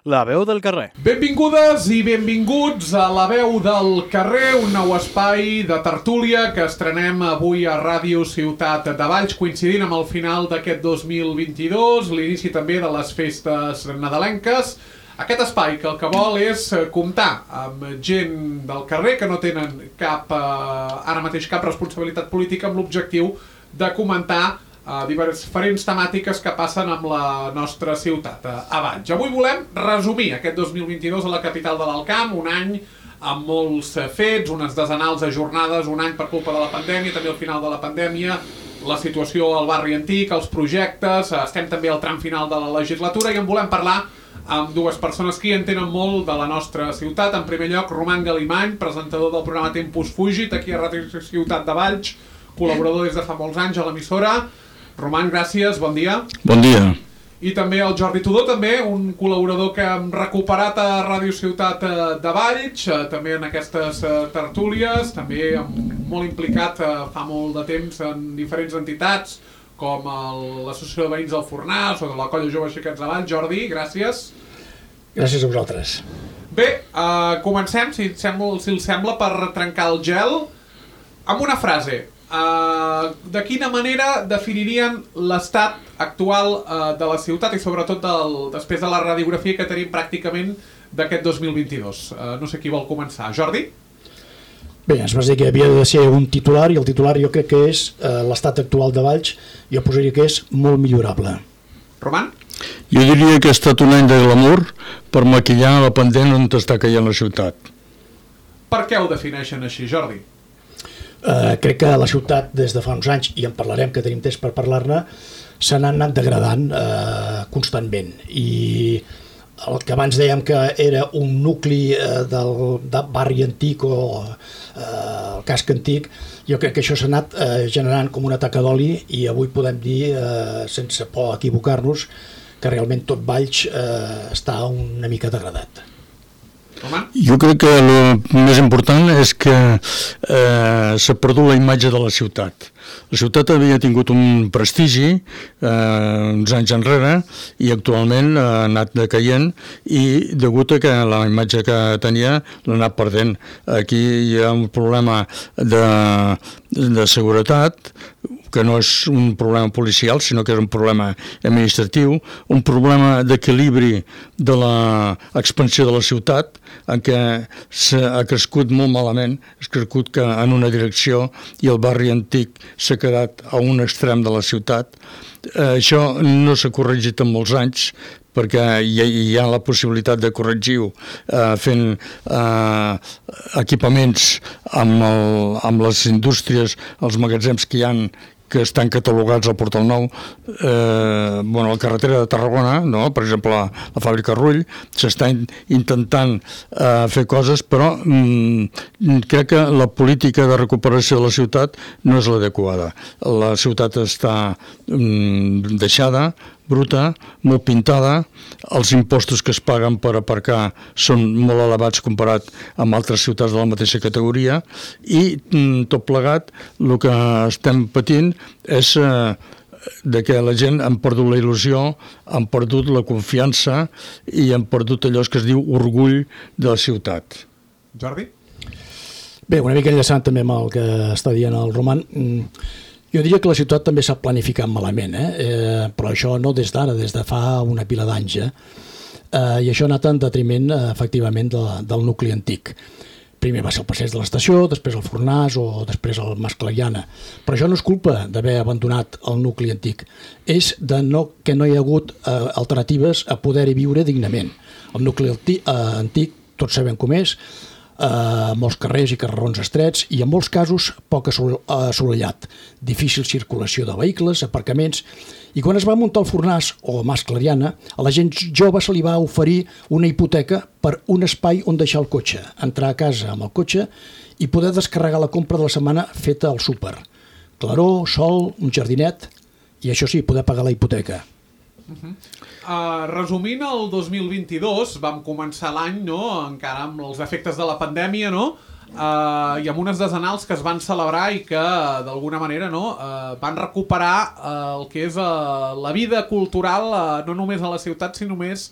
La veu del carrer. Benvingudes i benvinguts a La veu del carrer, un nou espai de tertúlia que estrenem avui a Ràdio Ciutat de Valls, coincidint amb el final d'aquest 2022, l'inici també de les festes nadalenques. Aquest espai que el que vol és comptar amb gent del carrer que no tenen ara mateix cap responsabilitat política, amb l'objectiu de comentar diferents temàtiques que passen amb la nostra ciutat, a Valls. Avui volem resumir aquest 2022 a la capital de l'Alt Camp, un any amb molts fets, unes desenals de jornades, un any per culpa de la pandèmia, també al final de la pandèmia, la situació al barri antic, els projectes, estem també al tram final de la legislatura i en volem parlar amb dues persones que hi entenen molt de la nostra ciutat. En primer lloc, Roman Galimany, presentador del programa Tempus Fugit, aquí a Ràdio Ciutat de Valls, col·laborador des de fa molts anys a l'emissora. Roman, gràcies, bon dia. Bon dia. I també el Jordi Tudó, també un col·laborador que hem recuperat a Ràdio Ciutat de Valls, també en aquestes tertúlies, també molt implicat fa molt de temps en diferents entitats, com l'Associació de Veïns del Fornàs o de la Colla Jove Xiquets de Valls. Jordi, gràcies. Gràcies a vosaltres. Bé, comencem, si els sembla, per trencar el gel, amb una frase. De quina manera definirien l'estat actual de la ciutat i sobretot després de la radiografia que tenim pràcticament d'aquest 2022? No sé qui vol començar. Jordi? Bé, ens vas dir que havia de ser un titular i el titular jo crec que és l'estat actual de Valls. Jo posaria que és molt millorable. Roman? Jo diria que ha estat un any de glamour per maquillar la pendent on està caient la ciutat. Per què ho defineixen així, Jordi? Crec que la ciutat des de fa uns anys, i en parlarem, que tenim temps per parlar-ne, se n'ha anat degradant constantment, i el que abans dèiem que era un nucli del barri antic o el casc antic, jo crec que això s'ha anat generant com una taca d'oli, i avui podem dir, sense por a equivocar-nos, que realment tot Valls està una mica degradat. Jo crec que el més important és que s'ha perdut la imatge de la ciutat. La ciutat havia tingut un prestigi uns anys enrere i actualment ha anat decaient i degut a que la imatge que tenia l'ha anat perdent. Aquí hi ha un problema de seguretat, que no és un problema policial, sinó que és un problema administratiu, un problema d'equilibri de l'expansió de la ciutat, en què ha crescut molt malament, ha crescut en una direcció i el barri antic s'ha quedat a un extrem de la ciutat. Això no s'ha corregit en molts anys, perquè hi ha la possibilitat de corregir-ho fent equipaments amb les indústries, els magatzems que hi ha, que estan catalogats al Portal Nou, la carretera de Tarragona, no? Per exemple, la fàbrica Rull, s'està intentant fer coses, però crec que la política de recuperació de la ciutat no és l'adequada. La ciutat està deixada, bruta, molt pintada, els impostos que es paguen per aparcar són molt elevats comparat amb altres ciutats de la mateixa categoria i tot plegat el que estem patint és de que la gent han perdut la il·lusió, han perdut la confiança i han perdut allò que es diu orgull de la ciutat. Jordi? Bé, una mica enllaçant també amb el que està dient el Roman, jo diria que la ciutat també s'ha planificat malament, però això no des d'ara, des de fa una pila d'anys. I això ha anat en detriment, efectivament, del nucli antic. Primer va ser el passeig de l'estació, després el Fornàs o després el Mas Clariana. Però això no és culpa d'haver abandonat el nucli antic. És que no hi ha hagut alternatives a poder-hi viure dignament. El nucli antic, tots sabem com és, molts carrers i carrerons estrets i en molts casos poc assolellat, difícil circulació de vehicles, aparcaments, i quan es va muntar el Fornàs o Mas Clariana, a la gent jove se li va oferir una hipoteca per un espai on deixar el cotxe, entrar a casa amb el cotxe i poder descarregar la compra de la setmana feta al súper. Claror, sol, un jardinet i això sí, poder pagar la hipoteca. Resumint el 2022, vam començar l'any, no?, encara amb els efectes de la pandèmia, no?, i amb unes desenals que es van celebrar i que d'alguna manera, no, van recuperar el que és la vida cultural no només a la ciutat sinó més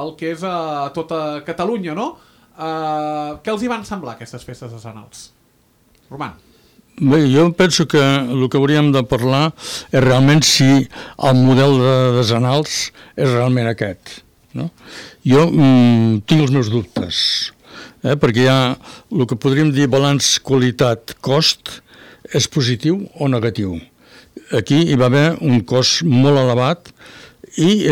el que és a tota Catalunya, no? Què els hi van semblar aquestes festes decenals? Roman. Bé, jo penso que el que hauríem de parlar és realment si el model de decenals és realment aquest, no? Jo tinc els meus dubtes, perquè hi ha el que podríem dir balanç qualitat-cost, és positiu o negatiu. Aquí hi va haver un cost molt elevat i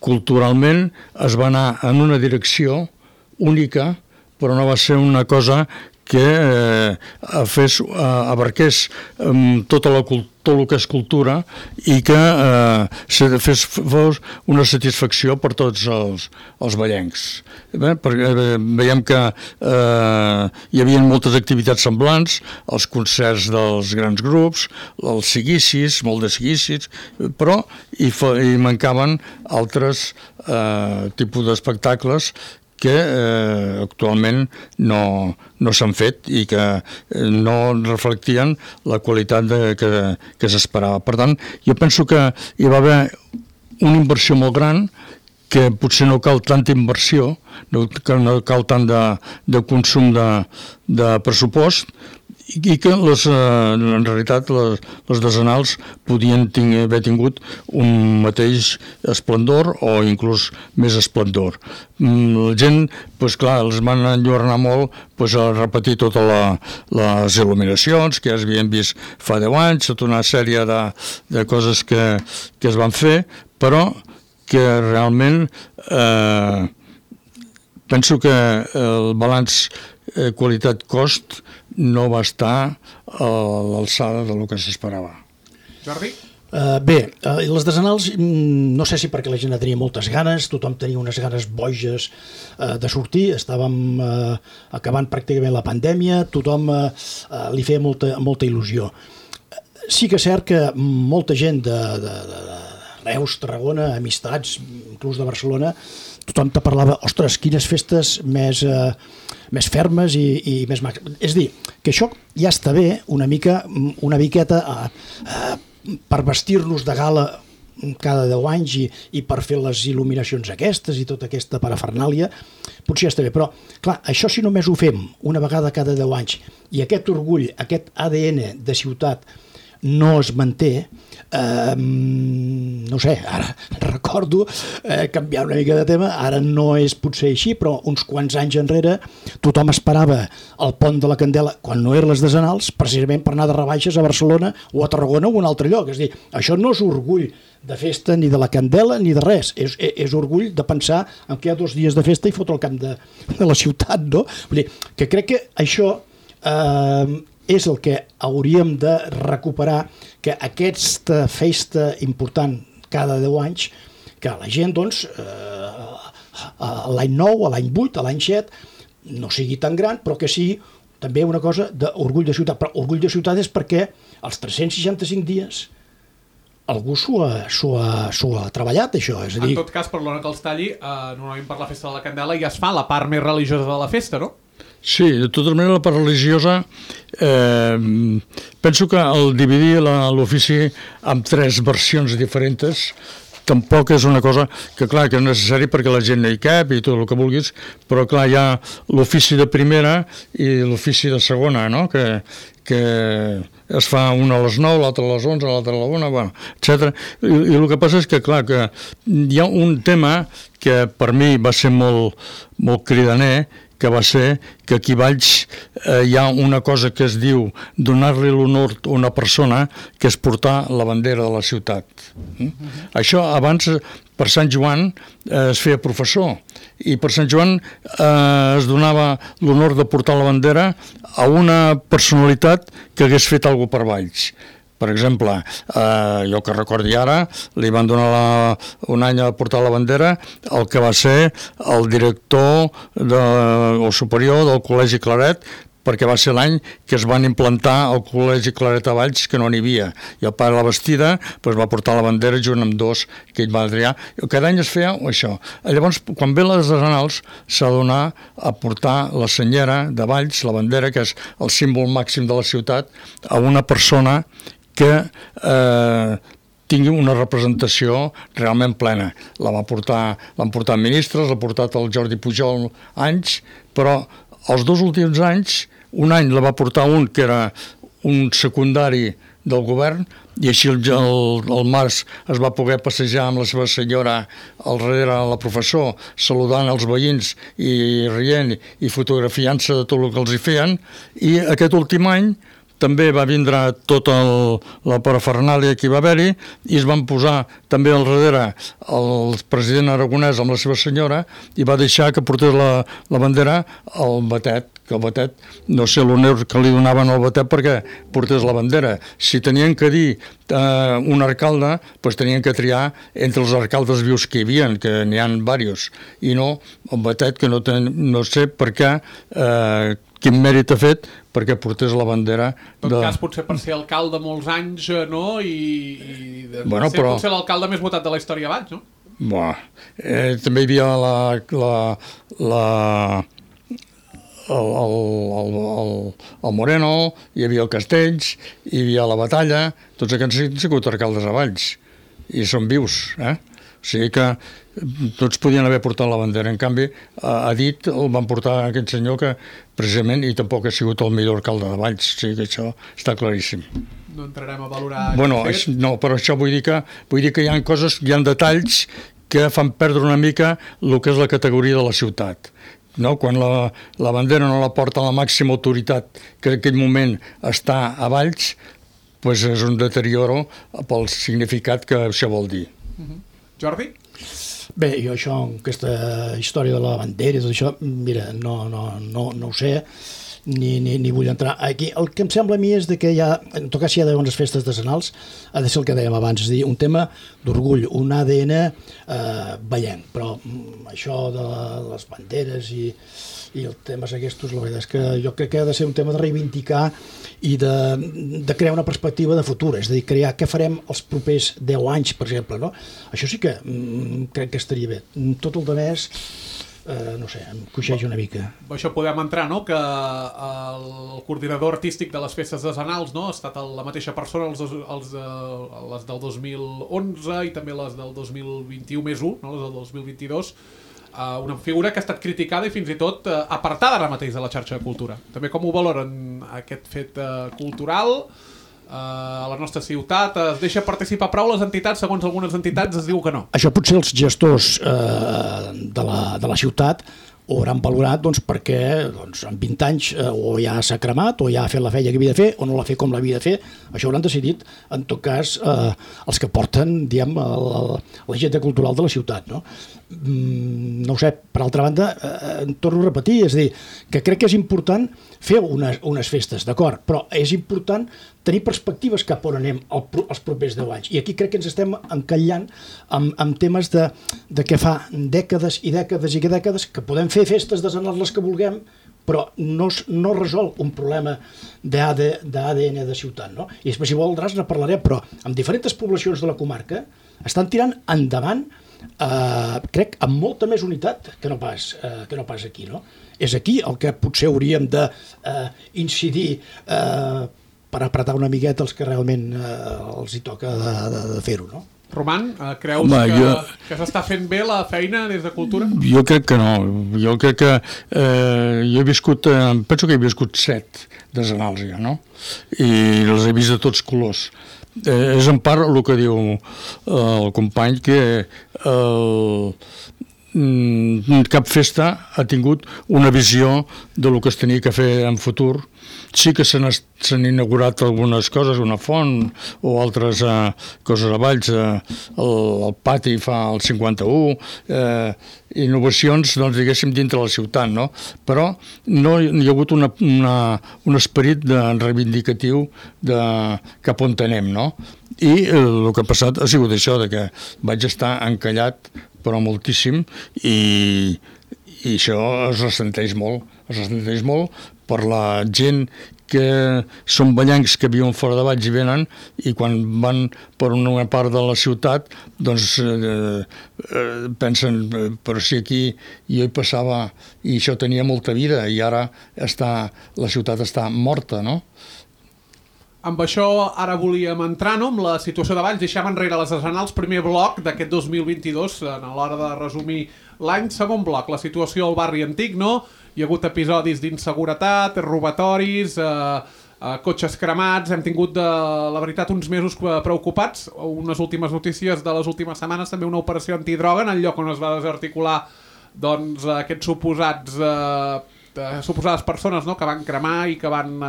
culturalment es va anar en una direcció única, però no va ser una cosa que abarqués tot el que és cultura i que fos una satisfacció per tots els ballencs. Veiem que hi havia moltes activitats semblants, els concerts dels grans grups, els seguicis, molt de seguicis, però hi mancaven altres tipus d'espectacles que actualment no s'han fet i que no reflectien la qualitat que s'esperava. Per tant, jo penso que hi va haver una inversió molt gran, que potser no cal tanta inversió, no cal tant de consum de pressupost, i que en realitat les decenals podien haver tingut un mateix esplendor o inclús més esplendor. La gent, doncs clar, els van enlluernar molt a repetir totes les il·luminacions que ja s'havien vist fa 10 anys, tota una sèrie de coses que es van fer, però que realment penso que el balanç qualitat-cost no va estar a l'alçada del que s'esperava. Jordi? Bé, les decenals, no sé si perquè la gent tenia moltes ganes, tothom tenia unes ganes boges de sortir, estàvem acabant pràcticament la pandèmia, tothom li feia molta il·lusió. Sí que és cert que molta gent de Reus, Tarragona, amistats, inclús de Barcelona, tothom te parlava, ostres, quines festes més fermes i més màximes. És a dir, que això ja està bé una miqueta per vestir-nos de gala cada 10 anys i per fer les il·luminacions aquestes i tota aquesta parafernàlia, potser ja està bé, però clar, això si només ho fem una vegada cada 10 anys i aquest orgull, aquest ADN de ciutat no es manté, no sé, ara recordo, canviar una mica de tema, ara no és potser així, però uns quants anys enrere tothom esperava el pont de la Candela, quan no eren les decenals, precisament per anar de rebaixes a Barcelona o a Tarragona o a un altre lloc. És a dir, això no és orgull de festa ni de la Candela ni de res, és orgull de pensar en que hi ha 2 dies de festa i fotre el camp de la ciutat, no? Vull dir, que crec que això és el que hauríem de recuperar, que aquesta festa important cada 10 anys, que la gent, doncs, l'any 9, l'any 8, l'any 7, no sigui tan gran, però que sigui també una cosa d'orgull de ciutat. Però orgull de ciutat és perquè els 365 dies algú s'ho ha treballat, això. És a dir... En tot cas, perdona que els talli, normalment per la festa de la Candela ja es fa la part més religiosa de la festa, no? Sí, de tota manera la part religiosa penso que el dividir l'ofici en 3 versions diferents tampoc és una cosa que, clar, que és necessari perquè la gent no hi cap i tot el que vulguis, però clar, hi ha l'ofici de primera i l'ofici de segona, no? Que es fa una a les 9, l'altra a les 11, l'altra a la 1, bueno, etc. I el que passa és que, clar, que hi ha un tema que per mi va ser molt cridaner, que va ser que aquí a Valls hi ha una cosa que es diu donar-li l'honor a una persona, que és portar la bandera de la ciutat. Això abans, per Sant Joan, es feia professor, i per Sant Joan es donava l'honor de portar la bandera a una personalitat que hagués fet alguna cosa per Valls. Per exemple, jo que recordi ara, li van donar un any a portar la bandera el que va ser el director o superior del Col·legi Claret, perquè va ser l'any que es van implantar el Col·legi Claret a Valls, que no n'hi havia. I el pare de la Bastida va portar la bandera junt amb 2 que ell va triar. Cada any es feia això. Llavors, quan ve les decenals, s'ha de donar a portar la senyera de Valls, la bandera, que és el símbol màxim de la ciutat, a una persona que tingui una representació realment plena. L'han portat ministres, l'ha portat el Jordi Pujol anys, però els 2 últims anys, un any la va portar un que era un secundari del govern, i així el març es va poder passejar amb la seva senyora al darrere la professor, saludant els veïns i rient i fotografiant-se de tot el que els hi feien, i aquest últim any també va vindre tota la parafernàlia que hi va haver-hi i es van posar també al darrere el president aragonès amb la seva senyora i va deixar que portés la bandera al Batet, que el Batet, no sé l'honor que li donaven al Batet perquè portés la bandera. Si tenien que dir un alcalde, doncs tenien que triar entre els alcaldes vius que hi havia, que n'hi ha diversos, i no el Batet, que no sé per què, quin mèrit ha fet perquè portés la bandera. En tot cas, potser per ser alcalde molts anys, no? I bueno, ser potser l'alcalde més votat de la història abans, no? També hi havia el Moreno, hi havia el Castells, hi havia la Batalla, tots aquests han sigut alcaldes a Valls, i són vius, O sigui que tots podien haver portat la bandera. En canvi, a dit el van portar aquest senyor que precisament i tampoc ha sigut el millor alcalde de Valls. O sigui que això està claríssim. No entrarem a valorar... No, però això vull dir que hi ha coses, hi ha detalls que fan perdre una mica el que és la categoria de la ciutat. No? Quan la bandera no la porta la màxima autoritat que en aquell moment està a Valls, doncs és un deterioro pel significat que això vol dir. Jordi? Bé, jo això, aquesta història de la bandera i tot això, mira, no ho sé, ni vull entrar aquí. El que em sembla a mi és que en tot cas si hi ha unes festes decenals, ha de ser el que dèiem abans, és a dir, un tema d'orgull, un ADN vallenc, però això de les banderes i els temes aquests, la veritat és que jo crec que ha de ser un tema de reivindicar i de crear una perspectiva de futur, és a dir, crear què farem els propers 10 anys, per exemple, no? Això sí que crec que estaria bé. Tot el de més, no sé, em coixeix una mica. Això podem entrar, no?, que el coordinador artístic de les festes decenals, no?, ha estat la mateixa persona les del 2011 i també les del 2021 més 1, no?, les del 2022, una figura que ha estat criticada i fins i tot apartada ara mateix de la xarxa de cultura. També com ho valoren aquest fet cultural a la nostra ciutat? Es deixa participar prou les entitats? Segons algunes entitats es diu que no. Això potser els gestors de la ciutat ho hauran valorat perquè en 20 anys o ja s'ha cremat o ja ha fet la feina que havia de fer o no l'ha fet com l'havia de fer. Això hauran decidit, en tot cas, els que porten, diguem, l'agenda cultural de la ciutat, no? No ho sé, per altra banda, torno a repetir, és a dir, que crec que és important fer unes festes, d'acord, però és important tenir perspectives cap on anem els propers 10 anys. I aquí crec que ens estem encallant amb temes de que fa dècades i dècades i dècades que podem fer festes decenals les que vulguem, però no resol un problema d'ADN de ciutat, no? I després, si voldràs, ne parlarem, però amb diferents poblacions de la comarca estan tirant endavant, crec, amb molta més unitat que no pas aquí, no? És aquí el que potser hauríem d'incidir per apretar una miqueta els que realment els hi toca de fer-ho, no? Roman, creus que s'està fent bé la feina des de Cultura? Jo crec que no. Jo crec que jo he viscut, penso que he viscut 7 decenals ja, no? I els he vist de tots colors. És en part el que diu el company, que cap festa ha tingut una visió del que es tenia que fer en futur. Sí que s'han inaugurat algunes coses, una font o altres coses a Valls, el pati fa el 51, innovacions, doncs, diguéssim, dintre la ciutat, no? Però no hi ha hagut un esperit reivindicatiu cap on anem, no? I el que ha passat ha sigut això, que vaig estar encallat, però moltíssim, i això es ressenteix molt per la gent que són ballencs que viuen fora de Valls i venen, i quan van per una part de la ciutat doncs pensen, però si aquí jo hi passava i això tenia molta vida i ara la ciutat està morta, no? amb això ara volíem entrar, no?, amb la situació de Valls. Deixem enrere les Arsenals, primer bloc d'aquest 2022, a l'hora de resumir l'any. Segon bloc, la situació al barri antic, no? Hi ha hagut episodis d'inseguretat, robatoris, cotxes cremats. Hem tingut, la veritat, uns mesos preocupats. Unes últimes notícies de les últimes setmanes, també una operació antidroga en el lloc on es va desarticular doncs, aquests suposades persones, no?, que van cremar i que van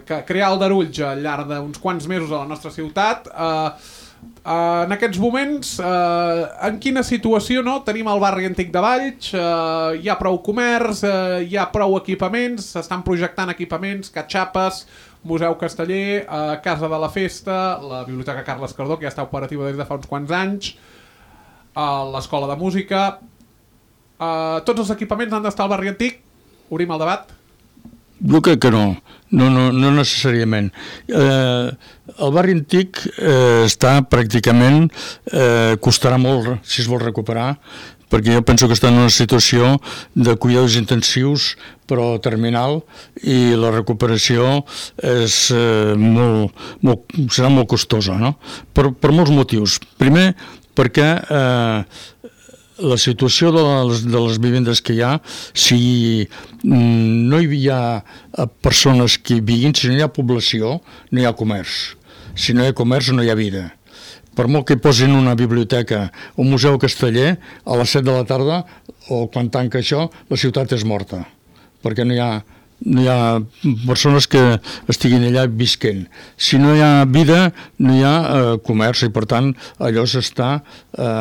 crear aldarulls al llarg d'uns quants mesos a la nostra ciutat. En aquests moments, en quina situació, no?, tenim el barri antic de Valls? Hi ha prou comerç, hi ha prou equipaments, s'estan projectant equipaments, catxapes, Museu Casteller, Casa de la Festa, la Biblioteca Carles Cardó, que ja està operativa des de fa uns quants anys, l'Escola de Música. Tots els equipaments han d'estar al barri antic? Obrim el debat? Jo crec que no necessàriament. El barri antic està pràcticament, costarà molt si es vol recuperar, perquè jo penso que està en una situació de cuidados intensius però terminal, i la recuperació serà molt costosa, no? Per molts motius. Primer, perquè la situació de les vivendes que hi ha, si no hi ha persones que hi vivin, si no hi ha població, no hi ha comerç. Si no hi ha comerç, no hi ha vida. Per molt que posin una biblioteca o un museu casteller, a les 7 de la tarda, o quan tanca això, la ciutat és morta, perquè no hi ha persones que estiguin allà visquent. Si no hi ha vida, no hi ha comerç, i per tant allò s'està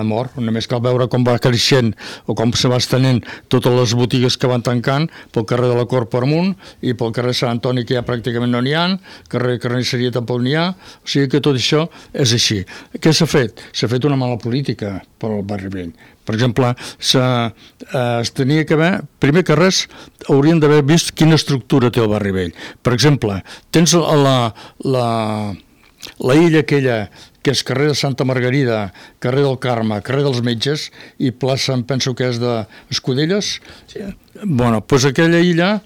mort. Només cal veure com va creixent o com se va estenent totes les botigues que van tancant pel carrer de la Cort per amunt, i pel carrer Sant Antoni, que ja pràcticament no n'hi ha, carrer Carnisseria tampoc n'hi ha. O sigui que tot això és així. Què s'ha fet? S'ha fet una mala política per al barri vell. Per exemple, es tenia que haver, primer que res, haurien d'haver vist quina estructura té el barri vell. Per exemple, tens la illa aquella, que és carrer de Santa Margarida, carrer del Carme, carrer dels Metges, i plaça, em penso que és d'Escudelles. Sí. Bueno, doncs aquella illa,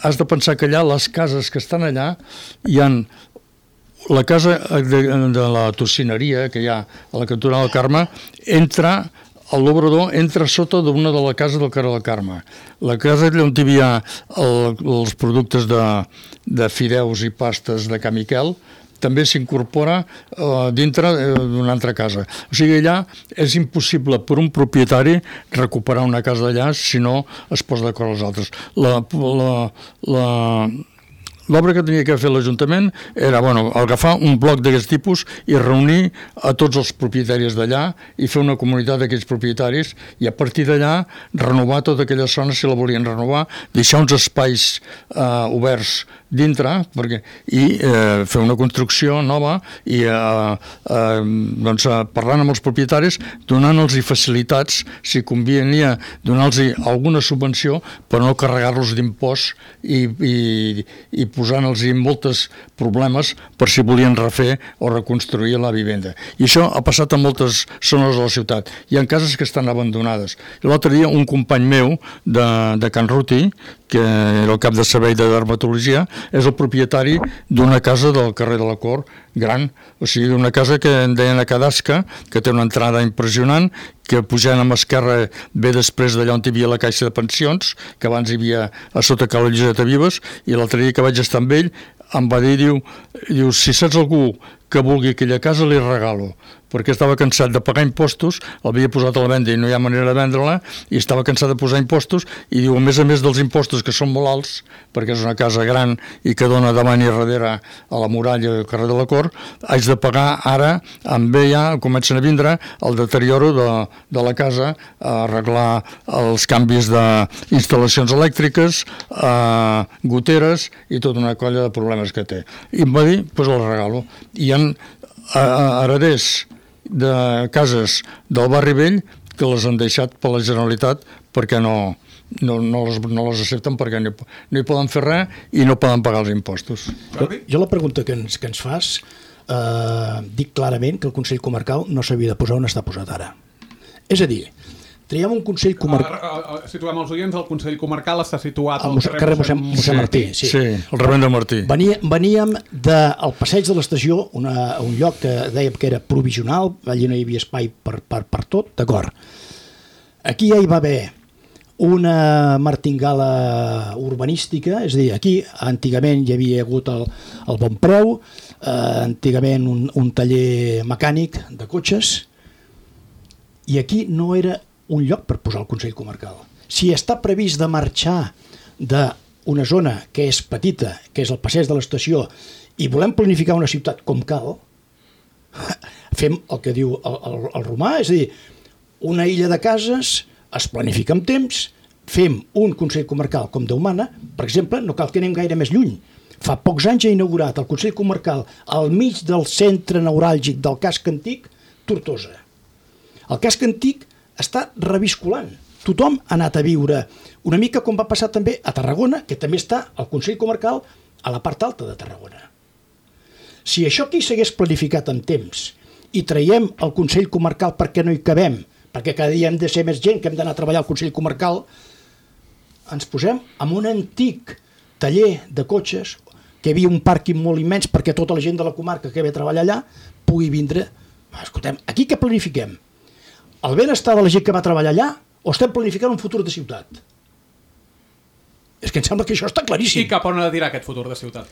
has de pensar que allà, les cases que estan allà, hi ha la casa de la tocineria que hi ha a la cantonada del Carme, l'obrador entra sota d'una de la casa del carrer del Carme. La casa on hi havia els productes de fideus i pastes de Can Miquel també s'incorpora dintre d'una altra casa. O sigui, allà és impossible per un propietari recuperar una casa d'allà si no es posa d'acord als altres. L'obra que tenia que fer l'Ajuntament era agafar un bloc d'aquest tipus i reunir a tots els propietaris d'allà i fer una comunitat d'aquells propietaris, i a partir d'allà renovar tota aquella zona si la volien renovar, deixar uns espais oberts dintre i fer una construcció nova i parlant amb els propietaris, donant-los facilitats, si convenia donar-los alguna subvenció per no carregar-los d'impost i posant-los molts problemes per si volien refer o reconstruir la vivenda. I això ha passat a moltes zones de la ciutat. Hi ha cases que estan abandonades. L'altre dia un company meu de Can Ruti, que era el cap de servei de dermatologia, és el propietari d'una casa del carrer de la Cort gran, o sigui, d'una casa que en deien a Cadasca, que té una entrada impressionant, que pujant amb esquerra ve després d'allà on hi havia la caixa de pensions, que abans hi havia a sota Cala Lliseta Vives, i l'altre dia que vaig estar amb ell em va dir, diu, si saps algú que vulgui aquella casa li regalo, perquè estava cansat de pagar impostos, l'havia posat a la venda i no hi ha manera de vendre-la, i estava cansat de posar impostos, i diu, a més dels impostos que són molt alts, perquè és una casa gran i que dona davant i darrere a la muralla del carrer de la Cort, haig de pagar ara, ja comencen a vindre el deterioro de la casa, a arreglar els canvis d'instal·lacions elèctriques, goteres i tota una colla de problemes que té. I em va dir, doncs el regalo. Hi ha hereders de cases del barri vell que les han deixat per la Generalitat perquè no les accepten, perquè no hi poden fer res i no poden pagar els impostos. Jo la pregunta que ens fas, dic clarament que el Consell Comarcal no s'havia de posar on està posat ara. És a dir, traiem un Consell Comarcal... Situem els oients, el Consell Comarcal està situat al carrer Mossèn Martí. Sí, el Rebent de Martí. Veníem del passeig de l'estació, un lloc que dèiem que era provisional, allà no hi havia espai per tot, d'acord. Aquí ja hi va haver una martingala urbanística, és a dir, aquí antigament hi havia hagut el Bon Preu, antigament un taller mecànic de cotxes, i aquí no era un lloc per posar el Consell Comarcal. Si està previst de marxar d'una zona que és petita, que és el passeig de l'estació, i volem planificar una ciutat com cal, fem el que diu el Romà, és a dir, una illa de cases, es planifica amb temps, fem un Consell Comarcal com Déu mana, per exemple, no cal que anem gaire més lluny. Fa pocs anys ha inaugurat el Consell Comarcal al mig del centre neuràlgic del casc antic, Tortosa. El casc antic està revisculant. Tothom ha anat a viure una mica com va passar també a Tarragona, que també està el Consell Comarcal a la part alta de Tarragona. Si això aquí s'hagués planificat en temps i traiem el Consell Comarcal perquè no hi cabem, perquè cada dia hem de ser més gent que hem d'anar a treballar al Consell Comarcal, ens posem amb un antic taller de cotxes, que hi havia un pàrquing molt immens perquè tota la gent de la comarca que ve a treballar allà pugui vindre. Escoltem, aquí què planifiquem? El benestar de la gent que va treballar allà o estem planificant un futur de ciutat? És que em sembla que això està claríssim. I cap on ha de tirar aquest futur de ciutat?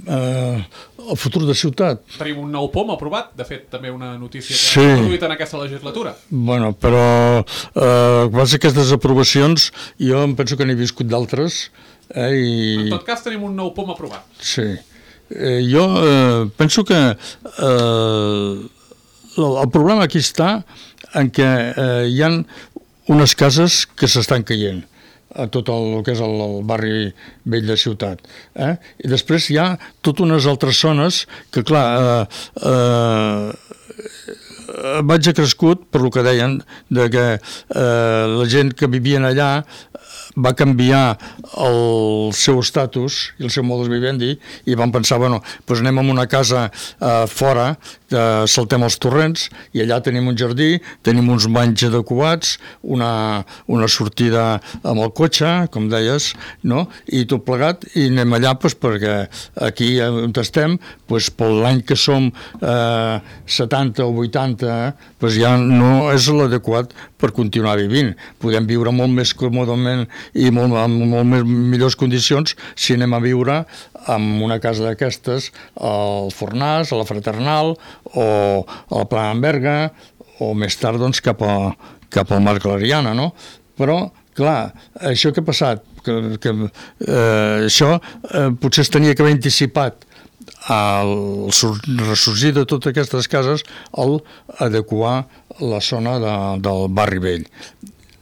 El futur de ciutat. Tenim un nou POM aprovat, de fet també una notícia que s'ha produït en aquesta legislatura. Bueno, però quasi aquestes aprovacions jo em penso que n'he viscut d'altres. En tot cas tenim un nou POM aprovat. Sí. Jo penso que el problema aquí està en què hi ha unes cases que s'estan caient a tot el que és el barri vell de ciutat. I després hi ha totes unes altres zones que, clar, vaig crescut per lo que deien, de que la gent que vivien allà va canviar el seu estatus i el seu modus vivendi i van pensar, bueno, doncs anem a una casa fora, saltem els torrents i allà tenim un jardí, tenim uns banys adequats, una sortida amb el cotxe, com deies, no? I tot plegat, i anem allà perquè aquí on estem, per l'any que som 70 o 80, ja no és l'adequat per continuar vivint. Podem viure molt més còmodament i amb molt millors condicions si anem a viure en una casa d'aquestes al Fornàs, a la Fraternal o a la Plana Berga o més tard doncs, cap al Mar Clariana, no? Però, clar, això que ha passat, això potser es tenia que haver anticipat al ressorgir de totes aquestes cases al adequar la zona del barri vell,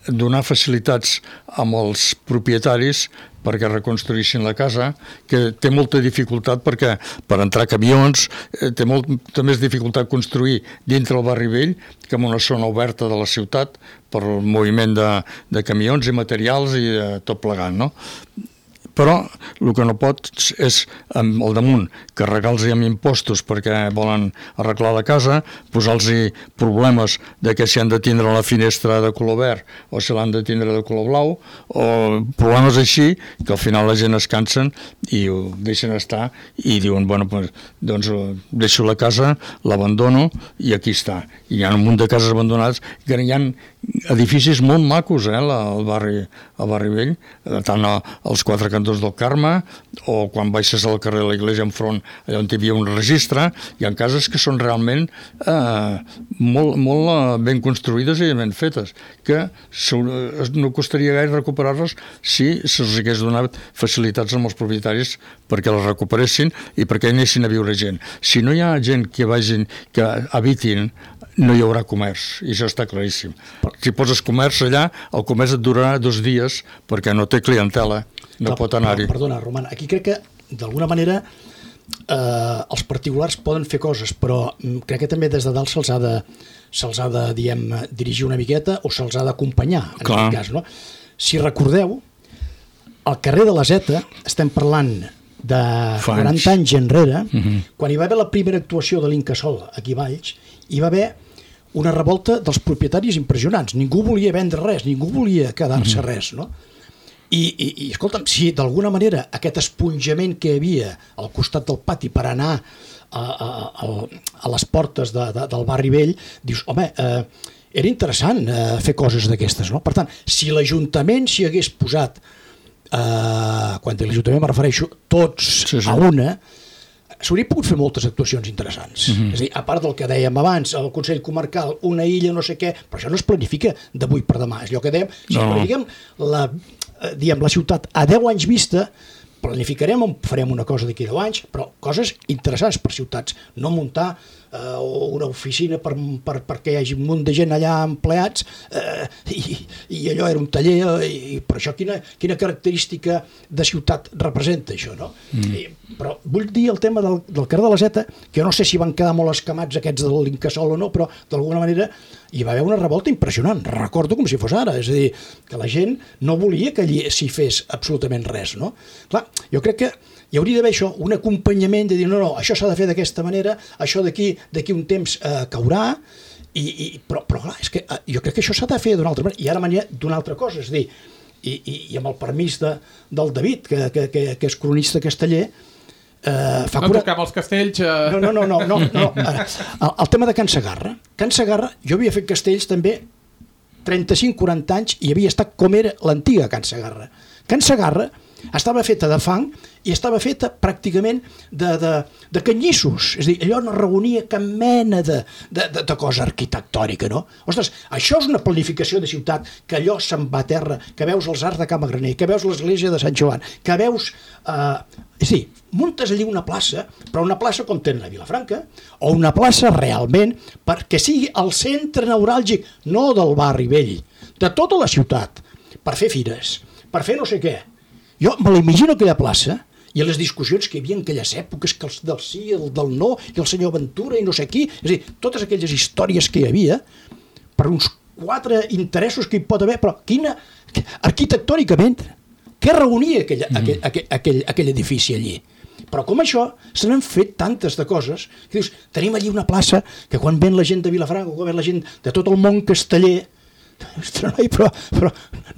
donar facilitats amb els propietaris perquè reconstruïssin la casa, que té molta dificultat perquè per entrar camions té molta més dificultat construir dintre el barri vell que en una zona oberta de la ciutat per el moviment de camions i materials i tot plegant, no? Però el que no pot és al damunt carregar-los amb impostos perquè volen arreglar la casa, posar-los problemes de que si han de tindre la finestra de color verd o si l'han de tindre de color blau, o problemes així que al final la gent es cansen i ho deixen estar i diuen, bueno, doncs deixo la casa, l'abandono i aquí està. I hi ha un munt de cases abandonades que hi ha edificis molt macos al barri vell, tant als quatre cantons del Carme o quan baixes al carrer de la Iglesia enfront allà on hi havia un registre, hi ha cases que són realment molt ben construïdes i ben fetes, que no costaria gaire recuperar-les si se'ls hagués donat facilitats als propietaris perquè les recuperessin i perquè hi anessin a viure gent. Si no hi ha gent que habitin, no hi haurà comerç, i això està claríssim. Si poses comerç allà, el comerç et durarà 2 dies perquè no té clientela, no pot anar-hi. Perdona, Roman, aquí crec que d'alguna manera els particulars poden fer coses, però crec que també des de dalt se'ls ha de dirigir una miqueta o se'ls ha d'acompanyar, en aquest cas, no? Si recordeu, al carrer de la Zeta estem parlant de 40 anys enrere, quan hi va haver la primera actuació de l'Incasòl aquí a Valls, hi va haver una revolta dels propietaris impressionants. Ningú volia vendre res, ningú volia quedar-se res, no? I escolta'm, si d'alguna manera aquest esponjament que hi havia al costat del pati per anar a les portes del barri vell, dius, home, era interessant fer coses d'aquestes, no? Per tant, si l'Ajuntament s'hi hagués posat, quan a l'Ajuntament me refereixo tots a una, s'hauria pogut fer moltes actuacions interessants. És a dir, a part del que dèiem abans, el Consell Comarcal, una illa, no sé què, però això no es planifica d'avui per demà. És allò que dèiem, si planifiquem la ciutat a 10 anys vista, planificarem on farem una cosa d'aquí 10 anys, però coses interessants per ciutats, no muntar una oficina perquè hi hagi un munt de gent allà empleats i allò era un taller, i per això quina característica de ciutat representa això, no? Però vull dir el tema del carrer de la Zeta, que jo no sé si van quedar molt escamats aquests de l'Incasòl o no, però d'alguna manera hi va haver una revolta impressionant, recordo com si fos ara, és a dir, que la gent no volia que allí s'hi fes absolutament res, no? Clar, jo crec que hi hauria d'haver això, un acompanyament de dir, no, això s'ha de fer d'aquesta manera, això d'aquí un temps caurà, però clar, és que jo crec que això s'ha de fer d'una altra manera, i ara d'una altra cosa, és a dir, i amb el permís del David, que és cronista casteller, no toquem els castells. No. El tema de Can Segarra. Can Segarra, jo havia fet castells també 35-40 anys i havia estat com era l'antiga Can Segarra. Can Segarra estava feta de fang i estava feta pràcticament de canyissos, és a dir, allò no reunia cap mena de cosa arquitectònica, no? Ostres, això és una planificació de ciutat, que allò se'n va a terra, que veus els arcs de Camagraner, que veus l'església de Sant Joan, que veus... és a dir, muntes allí una plaça, però una plaça com tenen a Vilafranca, o una plaça realment perquè sigui el centre neuràlgic, no del barri vell, de tota la ciutat, per fer fires, per fer no sé què. Jo me l'imagino aquella plaça i les discussions que hi havia en aquelles èpoques, que els del sí, el del no, i el senyor Ventura i no sé qui, és a dir, totes aquelles històries que hi havia, per uns 4 interessos que hi pot haver, però arquitectònicament, què reunia aquell edifici allí? Però com això, se n'han fet tantes de coses, que dius, tenim allí una plaça que quan ven la gent de Vilafranca, quan ven la gent de tot el món casteller, però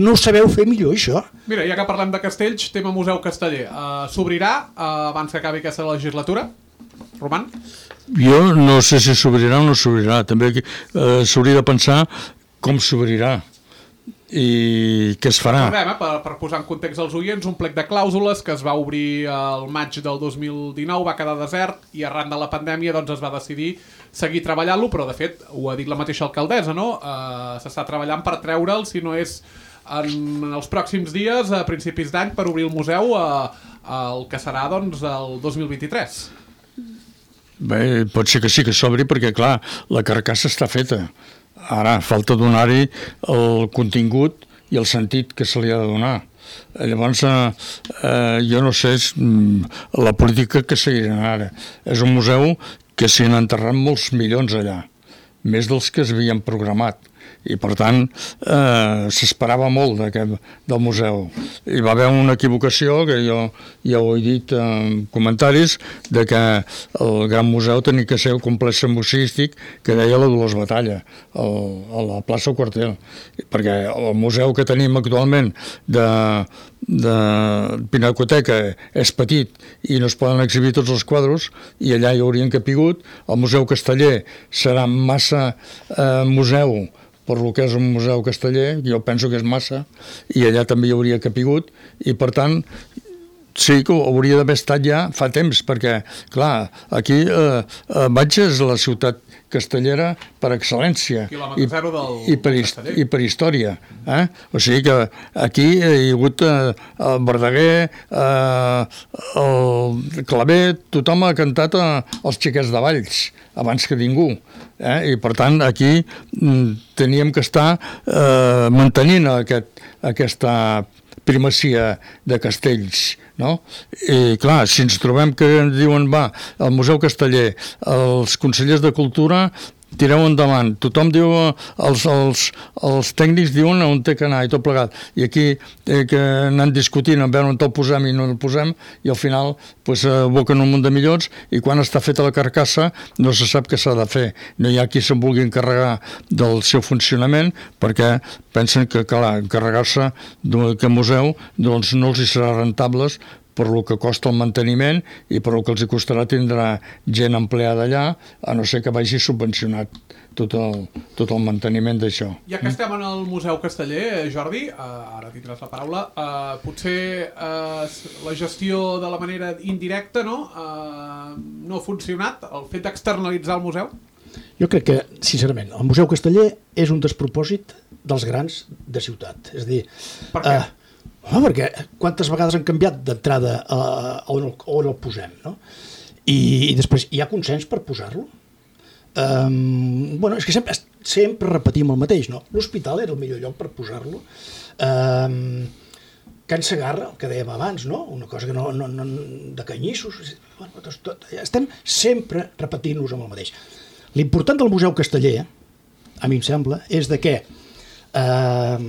no ho sabeu fer millor, això. Mira, ja que parlem de castells, tema Museu Casteller. S'obrirà abans que acabi aquesta legislatura? Roman? Jo no sé si s'obrirà o no s'obrirà. També s'hauria de pensar com s'obrirà i què es farà. Per posar en context als oients, un plec de clàusules que es va obrir al maig del 2019, va quedar desert i arran de la pandèmia doncs es va decidir seguir treballant-lo, però de fet ho ha dit la mateixa alcaldessa, no? S'està treballant per treure'l, si no és en els pròxims dies, a principis d'any, per obrir el museu el que serà doncs el 2023. Bé, pot ser que sí que s'obri perquè clar, la carcassa està feta. Ara falta donar-hi el contingut i el sentit que se li ha de donar. Llavors, jo no sé la política que seguiran ara. És un museu que s'hi han enterrat molts milions allà, més dels que es havien programat. I per tant s'esperava molt del museu. Hi va haver una equivocació que jo ja ho he dit en comentaris, de que el Gran Museu tenia que ser el complex musístic que deia la Dolors Batalla a la plaça Quartel, perquè el museu que tenim actualment de Pinacoteca és petit i no es poden exhibir tots els quadres i allà hi haurien capigut. El Museu Casteller serà massa museu per lo que és un museu casteller, jo penso que és massa, i allà també hi hauria capigut, i per tant sí que hauria d'haver estat ja fa temps, perquè clar, aquí Batge és la ciutat castellera per excel·lència i per història. O sigui que aquí hi ha hagut el Verdaguer, el Clavet, tothom ha cantat els xiquets de Valls abans que ningú, i per tant aquí teníem que estar mantenint aquesta primacia de castells, no? I clar, si ens trobem que diuen, el Museu Casteller, els consellers de Cultura tireu endavant. Tothom diu, els tècnics diuen on té que anar i tot plegat. I aquí que anem discutint a veure on el posem i no el posem, i al final aboquen un munt de milions, i quan està feta la carcassa no se sap què s'ha de fer. No hi ha qui se'n vulgui encarregar del seu funcionament, perquè pensen que, clar, encarregar-se d'aquest museu doncs no els hi serà rentables per el que costa el manteniment i per el que els hi costarà tindrà gent empleada allà, a no ser que vagi subvencionat tot el manteniment d'això. Ja que estem en el Museu Casteller, Jordi, ara tindràs la paraula, potser la gestió de la manera indirecta no ha funcionat, el fet d'externalitzar el museu? Jo crec que, sincerament, el Museu Casteller és un despropòsit dels grans de ciutat. És a dir... Per què? Perquè quantes vegades han canviat d'entrada on el posem, no? I després hi ha consens per posar-lo? És que sempre repetim el mateix, no? L'hospital era el millor lloc per posar-lo. Can Segarra, el que dèiem abans, no? Una cosa que no de canyissos. Estem sempre repetint-nos amb el mateix. L'important del Museu Casteller, a mi em sembla, és de que ha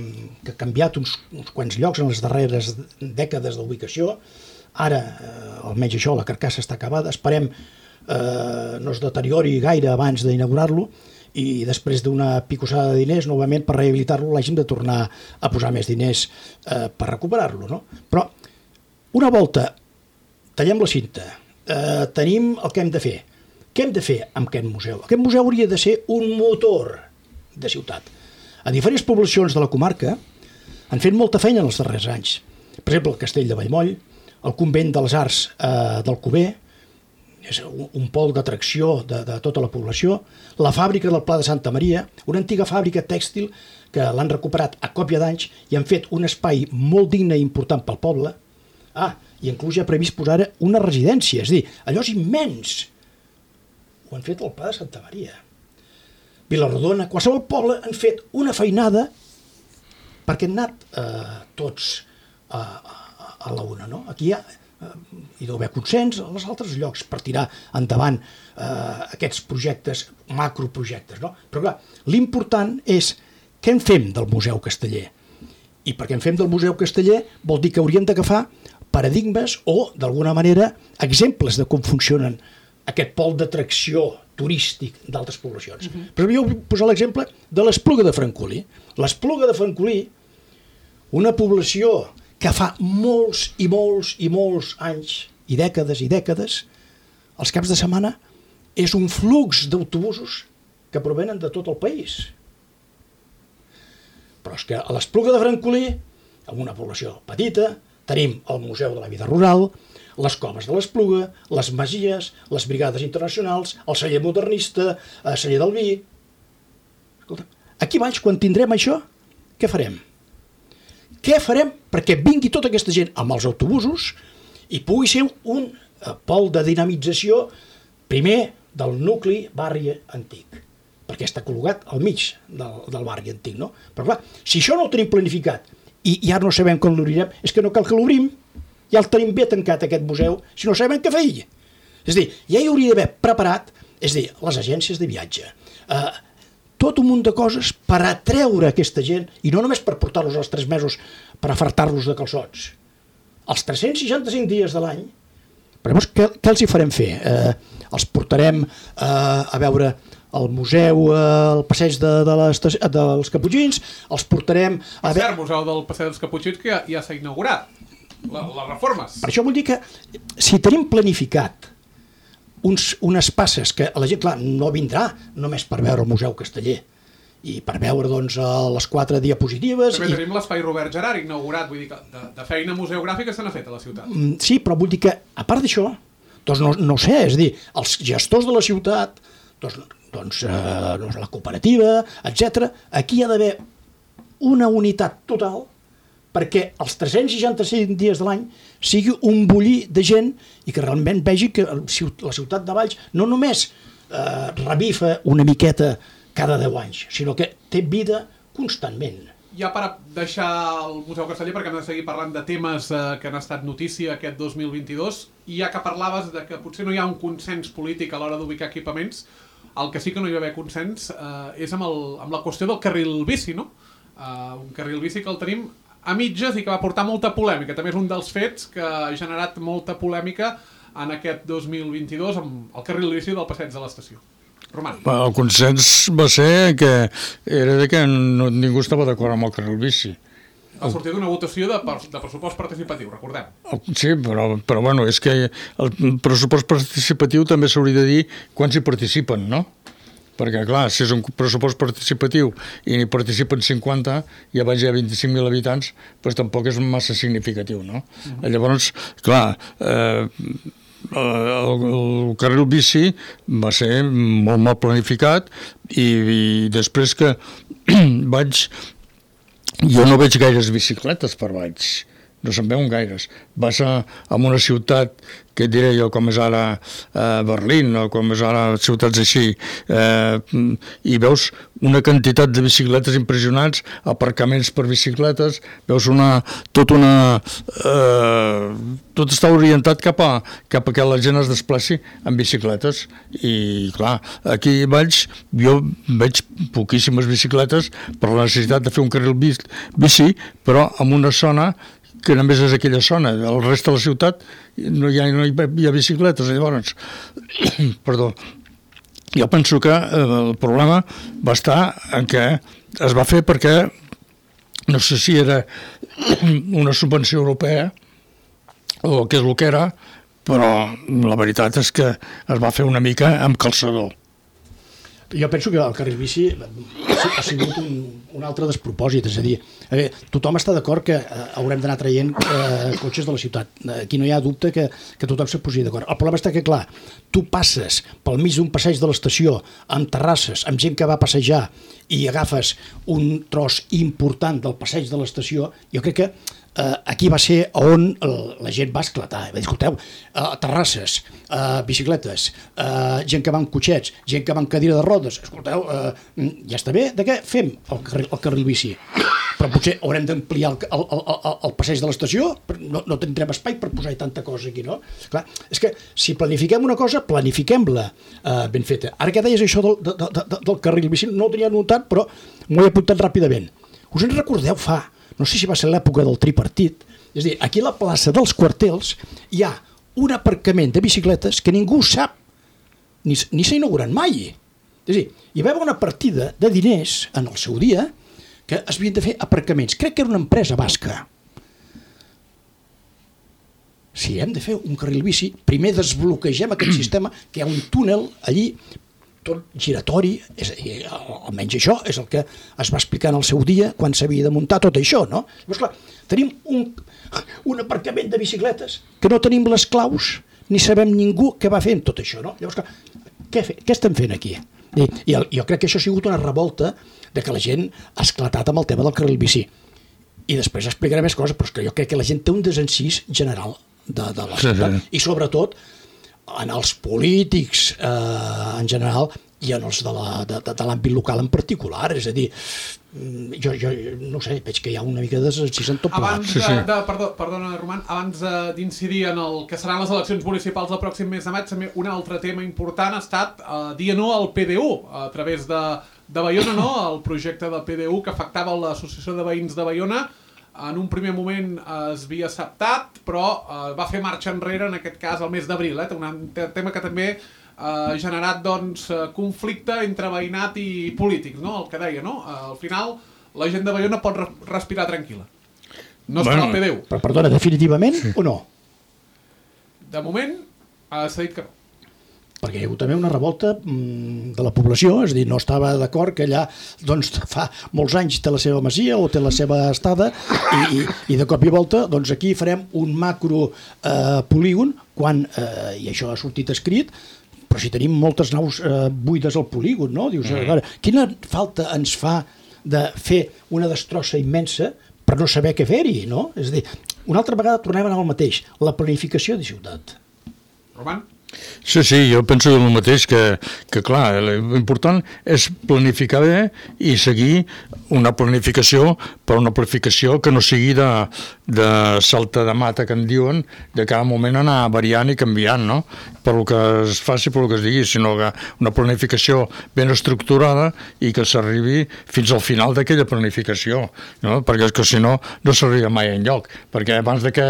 canviat uns quants llocs en les darreres dècades d'ubicació. Ara, almenys això, la carcassa està acabada. Esperem no es deteriori gaire abans d'inaugurar-lo i després d'una picossada de diners, novament per rehabilitar-lo l'hàgim de tornar a posar més diners per recuperar-lo, no? Però una volta tallem la cinta, tenim el que hem de fer. Què hem de fer amb aquest museu? Aquest museu hauria de ser un motor de ciutat. A diferents poblacions de la comarca han fet molta feina en els darrers anys. Per exemple, el Castell de Vallmoll, el Convent de les Arts d'Alcover, és un pol d'atracció de tota la població, la fàbrica del Pla de Santa Maria, una antiga fàbrica tèxtil que l'han recuperat a còpia d'anys i han fet un espai molt digne i important pel poble. I inclús ja ha previst posar una residència, és a dir, allò és immens. Ho han fet al Pla de Santa Maria. Vilarrodona, qualsevol poble han fet una feinada perquè han anat tots a la una, no? Aquí hi deu haver consens als altres llocs per tirar endavant aquests projectes, macroprojectes, no? Però clar, l'important és què en fem del Museu Casteller. I perquè en fem del Museu Casteller vol dir que hauríem d'agafar paradigmes o, d'alguna manera, exemples de com funcionen aquest pol d'atracció turístic d'altres poblacions. Però jo vull posar l'exemple de l'Espluga de Francolí. L'Espluga de Francolí, una població que fa molts i molts i molts anys i dècades, els caps de setmana, és un flux d'autobusos que provenen de tot el país. Però és que a l'Espluga de Francolí, en una població petita, tenim el Museu de la Vida Rural, les coves de l'Espluga, les masies, les brigades internacionals, el celler modernista, el celler del vi. Escolta, aquí baix, quan tindrem això, què farem? Què farem perquè vingui tota aquesta gent amb els autobusos i pugui ser un pol de dinamització, primer, del nucli barri antic, perquè està col·locat al mig del barri antic, no? Però clar, si això no ho tenim planificat i ara no sabem com l'obrirem, és que no cal que l'obrim. Ja el tenim bé tancat, aquest museu, si no sabem què fer. És a dir, ja hi hauria d'haver preparat, és a dir, les agències de viatge, tot un munt de coses per atreure aquesta gent, i no només per portar-los els 3 mesos per afartar-los de calçots. Els 365 dies de l'any, però llavors què els hi farem fer? Els portarem a veure el museu, el passeig dels Caputxins, els portarem a veure... El museu del passeig dels Caputxins que ja s'ha inaugurat. Les reformes. Per això vull dir que si tenim planificat unes passes que la gent, clar, no vindrà només per veure el Museu Casteller i per veure doncs les 4 diapositives. També tenim l'espai Robert Gerard inaugurat, vull dir que de feina museogràfica se n'ha fet a la ciutat. Sí, però vull dir que a part d'això, doncs no sé, és a dir, els gestors de la ciutat, doncs la cooperativa, etc. Aquí hi ha d'haver una unitat total perquè els 365 dies de l'any sigui un bullir de gent i que realment vegi que la ciutat de Valls no només revifa una miqueta cada 10 anys, sinó que té vida constantment. Ja per deixar el Museu Casteller, perquè hem de seguir parlant de temes que han estat notícia aquest 2022, i ja que parlaves de que potser no hi ha un consens polític a l'hora d'ubicar equipaments, El que sí que no hi va haver consens és amb la qüestió del carril bici, no? Un carril bici que el tenim a mitges i que va portar molta polèmica. També és un dels fets que ha generat molta polèmica en aquest 2022 amb el carril bici del passeig de l'estació. Roman. El consens va ser que era que ningú estava d'acord amb el carril bici. Ha sortit una votació de pressupost participatiu, recordem. Sí, però bueno, és que el pressupost participatiu també s'hauria de dir quants hi participen, no? Perquè, clar, si és un pressupost participatiu i n'hi participen 50 i abans hi ha 25.000 habitants, doncs tampoc és massa significatiu, no? Llavors, clar, el carril bici va ser molt mal planificat i després que jo no veig gaires bicicletes per Valls, no se'n veuen gaires. Vas en una ciutat, que et diré jo, com és ara Berlín o com és ara ciutats així, i veus una quantitat de bicicletes impressionants, aparcaments per bicicletes, veus tot està orientat cap a que la gent es desplaci amb bicicletes i clar, aquí a Valls jo veig poquíssimes bicicletes per la necessitat de fer un carril bici, però en una zona que només és aquella zona, el rest de la ciutat no hi ha bicicletes, llavors perdó, jo penso que el problema va estar en què es va fer perquè no sé si era una subvenció europea o què és el que era, però la veritat és que es va fer una mica amb calçador. Jo penso que el carril bici ha sigut un altre despropòsit, és a dir, tothom està d'acord que haurem d'anar traient cotxes de la ciutat. Aquí no hi ha dubte que tothom se posi d'acord. El problema està que, clar, tu passes pel mig d'un passeig de l'estació amb terrasses, amb gent que va passejar i agafes un tros important del passeig de l'estació, jo crec que aquí va ser on la gent va esclatar. Va dir, escolteu, terrasses, bicicletes, gent que va amb cotxets, gent que va amb cadira de rodes, escolteu, ja està bé, de què fem el carril bici? Però potser haurem d'ampliar el passeig de l'estació, no tindrem espai per posar tanta cosa aquí, no? Clar, és que si planifiquem una cosa, planifiquem-la ben feta. Ara que deies això del carril bici, no ho tenia notat, però m'ho he apuntat ràpidament. Us en recordeu no sé si va ser l'època del tripartit, és a dir, aquí a la plaça dels Quartels hi ha un aparcament de bicicletes que ningú sap, ni s'ha inaugurat mai. És a dir, hi va haver una partida de diners en el seu dia que es havien de fer aparcaments. Crec que era una empresa basca. Si hem de fer un carril bici, primer desbloquegem aquest sistema, que hi ha un túnel allí, tot giratori, és a dir, almenys això és el que es va explicar en el seu dia quan s'havia de muntar tot això, no? Llavors, clar, tenim un aparcament de bicicletes que no tenim les claus ni sabem ningú què va fer amb tot això, no? Llavors, clar, què estem fent aquí? I jo crec que això ha sigut una revolta de que la gent ha esclatat amb el tema del carril bici. I després explicaré més coses, però és que jo crec que la gent té un desencís general de la ciutat, i sobretot en els polítics en general i en els de l'àmbit local en particular, és a dir, jo no sé, veig que hi ha una mica de desencís en tot plegat. Perdona, Roman, abans d'incidir en el que seran les eleccions municipals del pròxim mes de maig, també un altre tema important ha estat dir no al PDU, a través de Baiona, no? El projecte del PDU que afectava l'Associació de Veïns de Baiona. En un primer moment es havia acceptat, però va fer marxa enrere, en aquest cas, el mes d'abril. Un tema que també ha generat conflicte entre veïnat i polítics, no? El que deia, no? Al final, la gent de Baiona pot respirar tranquil·la. No està al PDU. Però, perdona, definitivament o no? De moment, s'ha dit que no. Perquè hi ha hagut també una revolta de la població, és a dir, no estava d'acord que allà doncs, fa molts anys té la seva masia o té la seva estada i de cop i volta doncs, aquí farem un macro polígon quan, i això ha sortit escrit, però si tenim moltes naus buides al polígon, no? Dius, quina falta ens fa de fer una destrossa immensa per no saber què fer-hi, no? És a dir, una altra vegada tornem a anar al mateix, la planificació de ciutat. Roman? Sí, jo penso el mateix, que clar, l'important és planificar bé i seguir una planificació, però una planificació que no sigui de salta de mata, que en diuen, de cada moment anar variant i canviant, no? Per lo que es faci, per lo que es digui, sinó que una planificació ben estructurada i que s'arribi fins al final d'aquella planificació, no? Perquè és que si no, no s'arriba mai enlloc, perquè abans de que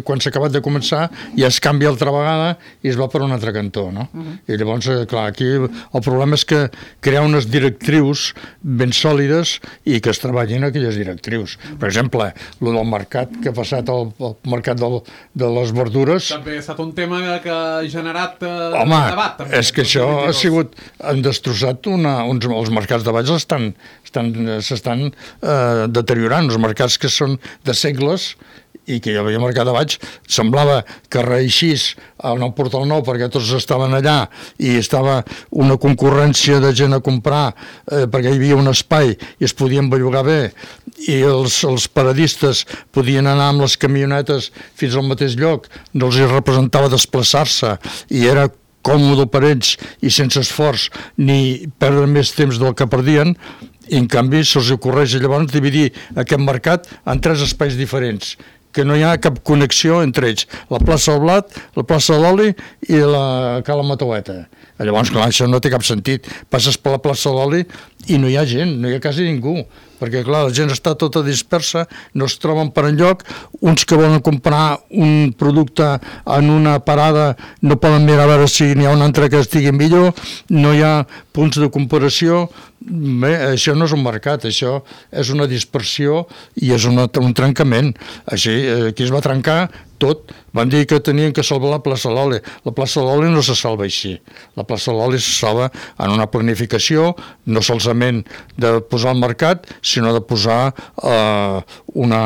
quan s'ha acabat de començar ja es canvia altra vegada i es va per un altre cantó, no? I llavors, clar, aquí el problema és que crear unes directrius ben sòlides i que es treballin aquelles directrius. Per exemple, el del mercat que ha passat al mercat de les verdures... També ha estat un tema que ha generat debat. També, és que això ha sigut... Han destrossat els mercats de Valls s'estan deteriorant. Els mercats que són de segles i que hi havia mercat de Valls, semblava que reeixís en el Portal Nou perquè tots estaven allà i estava una concurrència de gent a comprar perquè hi havia un espai i es podien bellugar bé i els paradistes podien anar amb les camionetes fins al mateix lloc, no els representava desplaçar-se i era còmode per ells i sense esforç ni perdre més temps del que perdien, i en canvi se'ls ocorreix llavors dividir aquest mercat en 3 espais diferents, que no hi ha cap connexió entre ells, la plaça del Blat, la plaça de l'Oli i la Cala Mataueta. Llavors, clar, això no té cap sentit. Passes per la plaça de l'Oli i no hi ha gent, no hi ha quasi ningú, perquè clar, la gent està tota dispersa, no es troben per enlloc, uns que volen comprar un producte en una parada no poden mirar a veure si n'hi ha un altre que estigui millor, no hi ha punts de comparació. Bé, això no és un mercat, això és una dispersió i és un trencament. Així, aquí es va trencar tot. Van dir que tenien que salvar la plaça de l'Oli. La plaça de l'Oli no se salva així. La plaça de l'Oli se salva en una planificació, no solament de posar al mercat, sinó de posar una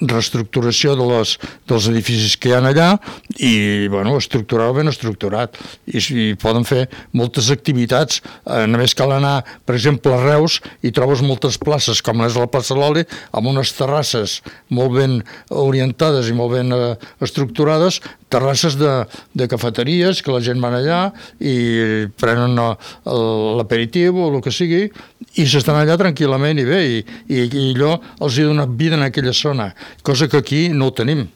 reestructuració dels edificis que hi ha allà i bueno, estructurar-ho ben estructurat. I poden fer moltes activitats. Només cal anar, per exemple, a Reus i trobes moltes places, com és la plaça de l'Oli, amb unes terrasses molt ben orientades i molt ben estructurades, terrasses de cafeteries que la gent va allà i prenen l'aperitiu o el que sigui i s'estan allà tranquil·lament i bé i allò els ha donat vida en aquella zona, cosa que aquí no ho tenim.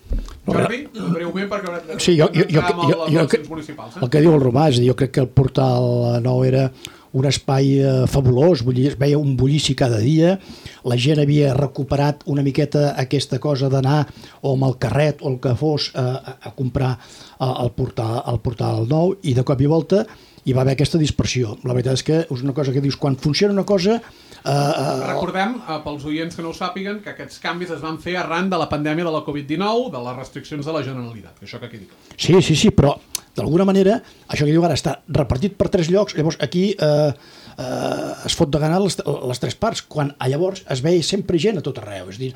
Jordi, breument perquè sí, el que diu el Romà, és a dir, jo crec que el Portal Nou era un espai fabulós, es veia un bullici cada dia, la gent havia recuperat una miqueta aquesta cosa d'anar o amb el carret o el que fos a comprar al Portal Nou i de cop i volta hi va haver aquesta dispersió. La veritat és que és una cosa que dius, quan funciona una cosa... Recordem, pels oients que no ho sàpiguen, que aquests canvis es van fer arran de la pandèmia de la Covid-19, de les restriccions de la Generalitat, això que quedi. Sí, però d'alguna manera, això que diu ara està repartit per 3 llocs, llavors aquí es fot de gana les 3 parts, quan llavors es veia sempre gent a tot arreu, és a dir,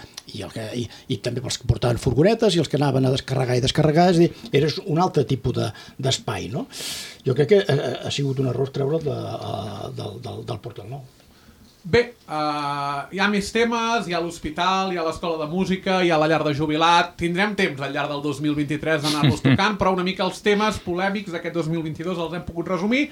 i també pels que portaven furgonetes i els que anaven a descarregar i descarregar, és a dir, era un altre tipus d'espai, no? Jo crec que ha sigut un error treure'l del Portal Nou. Bé, hi ha més temes, hi ha l'hospital, hi ha l'escola de música, hi ha la llar de jubilat, tindrem temps al llarg del 2023 d'anar-los tocant, però una mica els temes polèmics d'aquest 2022 els hem pogut resumir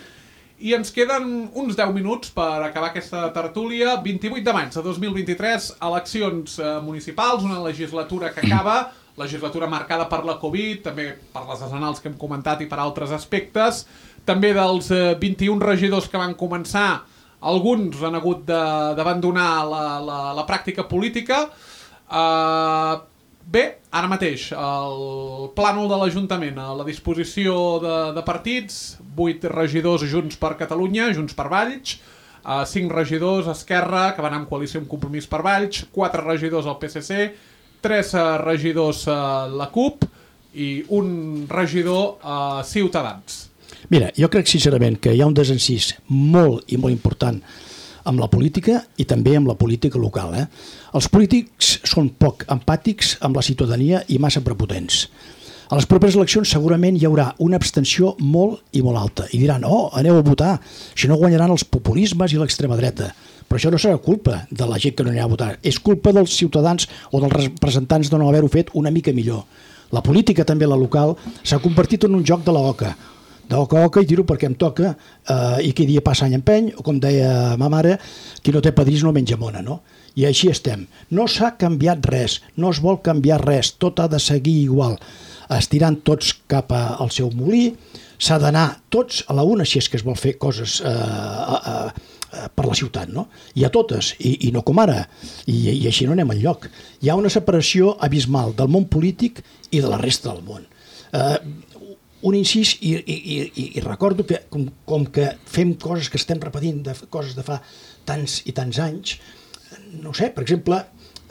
i ens queden uns 10 minuts per acabar aquesta tertúlia. 28 de maig de 2023, eleccions municipals, una legislatura que acaba, legislatura marcada per la Covid, també per les desenals que hem comentat i per altres aspectes, també dels 21 regidors que van començar, alguns han hagut d'abandonar la pràctica política. Bé, ara mateix, el plànol de l'Ajuntament, a la disposició de partits, 8 regidors Junts per Catalunya, Junts per Valls, 5 regidors Esquerra, que van en coalició amb Compromís per Valls, 4 regidors al PSC, 3 regidors la CUP i un regidor Ciutadans. Mira, jo crec sincerament que hi ha un desencís molt i molt important amb la política i també amb la política local. Els polítics són poc empàtics amb la ciutadania i massa prepotents. A les properes eleccions segurament hi haurà una abstenció molt i molt alta i diran, aneu a votar, si no guanyaran els populismes i l'extrema dreta. Però això no serà culpa de la gent que no anirà a votar, és culpa dels ciutadans o dels representants de no haver-ho fet una mica millor. La política, també la local, s'ha convertit en un joc de l'oca. D'oca i tiro perquè em toca, i qui dia passa any empeny, o com deia ma mare, qui no té padrís no menja mona, no? I així estem. No s'ha canviat res, no es vol canviar res, tot ha de seguir igual. Estirant tots cap al seu molí, s'ha d'anar tots a la una si és que es vol fer coses per la ciutat, no? I a totes, i no com ara, i així no anem enlloc. Hi ha una separació abismal del món polític i de la resta del món. Un incís, i recordo que com que fem coses que estem repetint, coses de fa tants i tants anys, no sé, per exemple,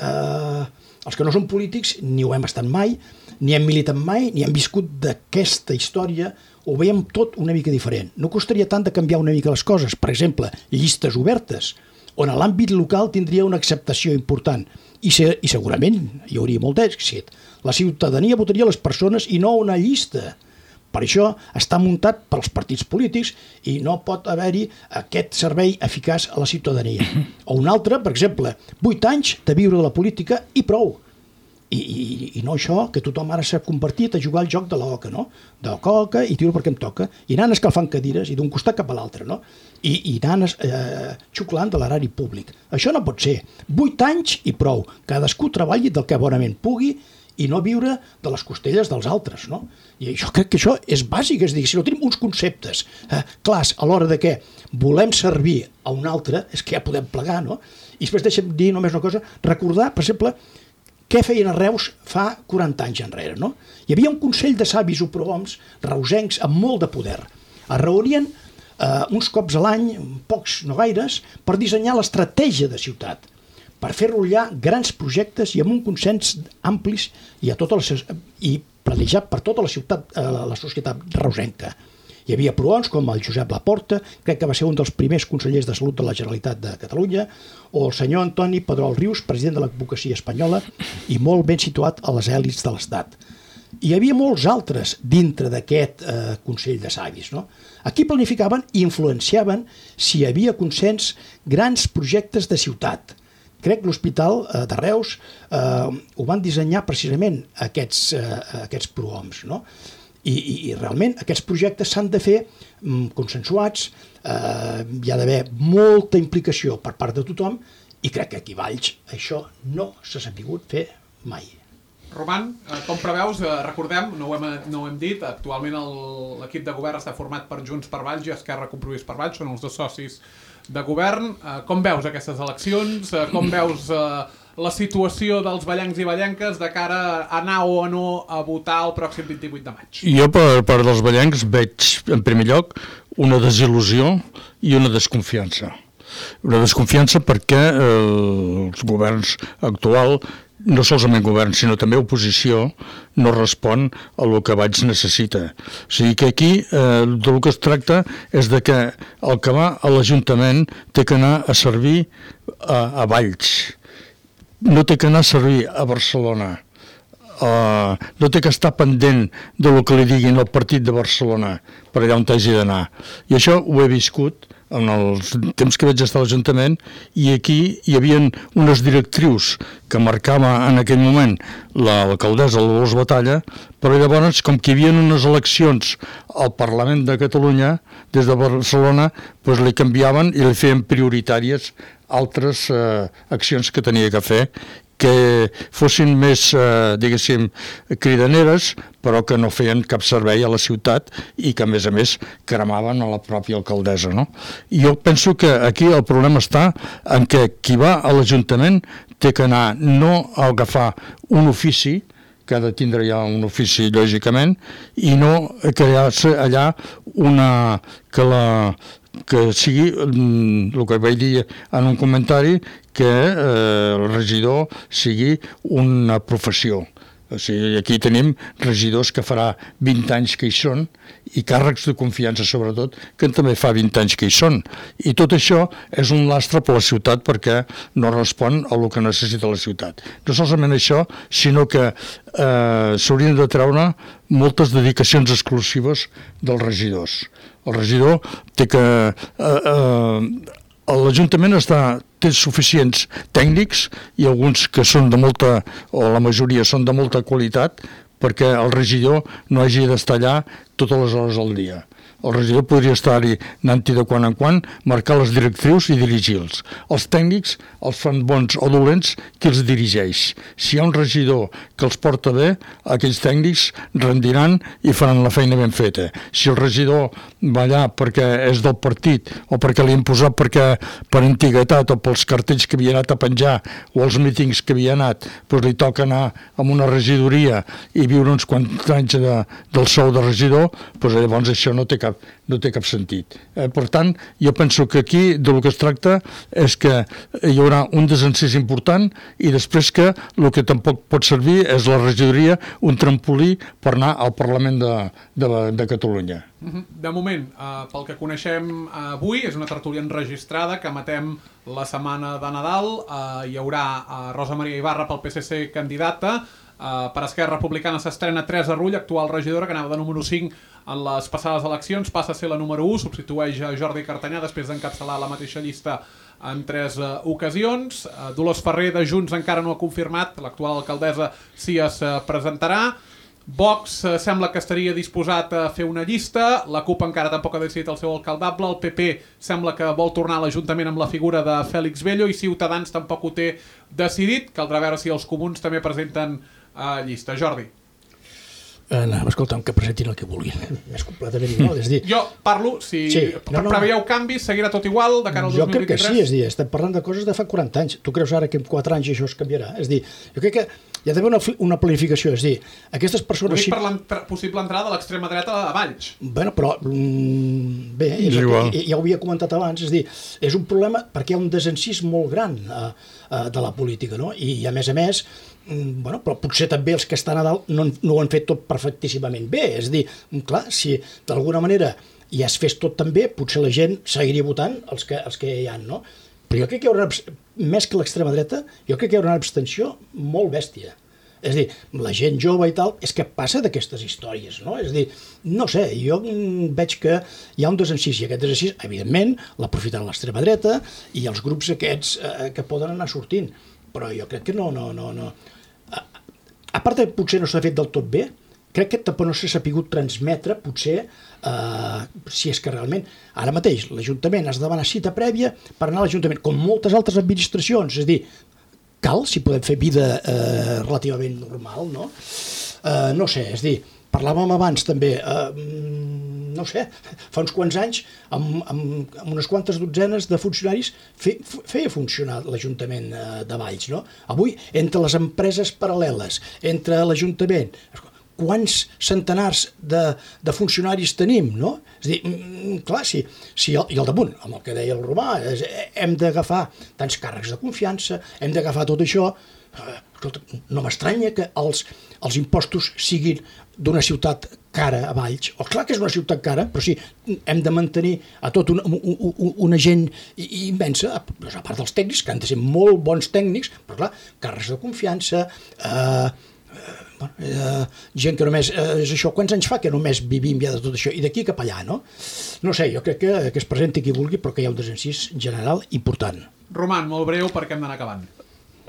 els que no són polítics ni ho hem estat mai, ni hem militat mai, ni hem viscut d'aquesta història, ho veiem tot una mica diferent. No costaria tant de canviar una mica les coses. Per exemple, llistes obertes, on a l'àmbit local tindria una acceptació important. I segurament hi hauria molt d'èxit. La ciutadania votaria les persones i no una llista. Per això està muntat pels partits polítics i no pot haver-hi aquest servei eficaç a la ciutadania. O un altre, per exemple, 8 anys de viure de la política i prou. I no això, que tothom ara s'ha convertit a jugar al joc de l'oca, no? D'oca i tiro perquè em toca, i anant escalfant cadires i d'un costat cap a l'altre, no? I anant xuclant de l'erari públic. Això no pot ser. 8 anys i prou. Cadascú treballi del que bonament pugui i no viure de les costelles dels altres, no? I jo crec que això és bàsic, és a dir, si no tenim uns conceptes clars a l'hora de què volem servir a un altre, és que ja podem plegar, no? I després deixem dir només una cosa, recordar, per exemple, què feien a Reus fa 40 anys enrere, no? Hi havia un consell de savis o prohoms reusencs amb molt de poder. Es reunien uns cops a l'any, pocs, no gaires, per dissenyar l'estratègia de ciutat, per fer rotllar grans projectes i amb un consens amplis i planejat per tota la ciutat, la societat reusenca. Hi havia prohoms com el Josep Laporta, crec que va ser un dels primers consellers de salut de la Generalitat de Catalunya, o el senyor Antoni Pedrol Rius, president de l'advocacia espanyola i molt ben situat a les èlits de l'Estat. Hi havia molts altres dintre d'aquest Consell de Savis, no? Aquí planificaven i influenciaven, si hi havia consens, grans projectes de ciutat. Crec que l'Hospital de Reus ho van dissenyar precisament aquests prohoms, no? I realment aquests projectes s'han de fer consensuats, hi ha d'haver molta implicació per part de tothom i crec que aquí a Valls això no s'ha sabut fer mai. Roman, com preveus, recordem, no ho hem dit, actualment l'equip de govern està format per Junts per Valls i Esquerra Compromís per Valls, són els dos socis de govern. Com veus aquestes eleccions? Com veus la situació dels vallencs i vallenques de cara a anar o no a votar el pròxim 28 de maig? Jo, per part dels vallencs, veig, en primer lloc, una desil·lusió i una desconfiança. Una desconfiança perquè els governs actuals, no solament govern, sinó també oposició, no respon a el que Valls necessita. O sigui que aquí del que es tracta és de que el que va a l'Ajuntament té que anar a servir a Valls. No té que anar a servir a Barcelona. No té que estar pendent del que li diguin el partit de Barcelona per allà on hagi d'anar. I això ho he viscut en els temps que vaig estar a l'Ajuntament, i aquí hi havia unes directrius que marcava en aquell moment l'alcaldessa Dolors Batalla, però llavors, com que hi havia unes eleccions al Parlament de Catalunya des de Barcelona, doncs li canviaven i li feien prioritàries altres accions que tenia que fer, que fossin més, diguéssim, cridaneres, però que no feien cap servei a la ciutat i que, a més, cremaven a la pròpia alcaldessa, no? I jo penso que aquí el problema està en que qui va a l'Ajuntament té que anar no a agafar un ofici, que ha de tindre ja un ofici, lògicament, i no crear-se allà que sigui, el que vaig dir en un comentari, que el regidor sigui una professió. O sigui, aquí tenim regidors que farà 20 anys que hi són i càrrecs de confiança, sobretot, que també fa 20 anys que hi són. I tot això és un lastre per la ciutat perquè no respon a el que necessita la ciutat. No solament això, sinó que s'haurien de treure moltes dedicacions exclusives dels regidors. El regidor té que... L'Ajuntament està té suficients tècnics i alguns que són de molta, o la majoria són de molta qualitat, perquè el regidor no hagi d'estar allà totes les hores del dia. El regidor podria estar-hi anant-hi de quan en quan, marcar les directrius i dirigir-los. Els tècnics els fan bons o dolents qui els dirigeix. Si hi ha un regidor que els porta bé, aquells tècnics rendiran i faran la feina ben feta. Si el regidor va allà perquè és del partit o perquè l'hi han posat perquè per antiguitat o pels cartells que havia anat a penjar o els mítings que havia anat, doncs li toca anar a una regidoria i viure uns quants anys del sou de regidor, doncs llavors això no té cap sentit. Per tant, jo penso que aquí del que es tracta és que hi haurà un desencís important i després que el que tampoc pot servir és la regidoria un trampolí per anar al Parlament de Catalunya. De moment, pel que coneixem avui, és una tertúlia enregistrada que emetem la setmana de Nadal. Hi haurà Rosa Maria Ibarra pel PSC candidata. Per Esquerra Republicana s'estrena Teresa Rull, actual regidora, que anava de número 5 en les passades eleccions, passa a ser la número 1, substitueix a Jordi Cartanyà després d'encapçalar la mateixa llista en 3 ocasions. Dolors Ferrer de Junts encara no ha confirmat, l'actual alcaldessa sí es presentarà. Vox sembla que estaria disposat a fer una llista, la CUP encara tampoc ha decidit el seu alcaldable, el PP sembla que vol tornar a l'Ajuntament amb la figura de Fèlix Bello i Ciutadans tampoc ho té decidit, caldrà veure si els comuns també presenten llista. Jordi. Escolta'm, que presentin el que vulguin, més completament igual. És dir, jo parlo, si preveieu canvis, seguirà tot igual de cara al 2023? Jo crec que sí, és dir, estem parlant de coses de fa 40 anys. Tu creus ara que en 4 anys això es canviarà? És dir, jo crec que hi ha d'haver una planificació, és dir, aquestes persones... Ho dic per la possible entrada de l'extrema dreta a Valls. Bueno, però, bé, ja ho havia comentat abans, és dir, és un problema perquè hi ha un desencís molt gran de la política, no? I a més, bueno, però potser també els que estan a dalt no ho han fet tot perfectíssimament bé. És a dir, clar, si d'alguna manera ja es fes tot tan bé, potser la gent seguiria votant els que hi ha, no? Però jo crec que hi haurà, més que l'extrema dreta, jo crec que hi haurà una abstenció molt bèstia. És a dir, la gent jove i tal, és que passa d'aquestes històries, no? És a dir, no sé, jo veig que hi ha un desencís, i aquest desencís, evidentment, l'aprofitaran l'extrema dreta i els grups aquests que poden anar sortint. Però jo crec que no. A part de potser no s'ha fet del tot bé, crec que tampoc no s'ha sapigut transmetre, potser, si és que realment, ara mateix, l'Ajuntament has de demanar cita prèvia per anar a l'Ajuntament, com moltes altres administracions, és a dir, cal, si podem fer vida relativament normal, no? No sé, és a dir, parlàvem abans també, no sé, fa uns quants anys, amb unes quantes dotzenes de funcionaris feia funcionar l'Ajuntament de Valls, no? Avui, entre les empreses paral·leles, entre l'Ajuntament, quants centenars de funcionaris tenim, no? És a dir, clar, i al damunt, amb el que deia el Romà, hem d'agafar tants càrrecs de confiança, hem d'agafar tot això. Escolta, no m'estranya que els impostos siguin d'una ciutat cara a Valls. Clar que és una ciutat cara, però sí, hem de mantenir a tot una gent immensa, a part dels tècnics, que han de ser molt bons tècnics, però clar, càrrecs de confiança, gent que només és això, quants anys fa que només vivim ja de tot això, i d'aquí cap allà, no? No sé, jo crec que es presenti qui vulgui, però que hi ha un desencís general important. Roman, molt breu perquè hem d'anar acabant.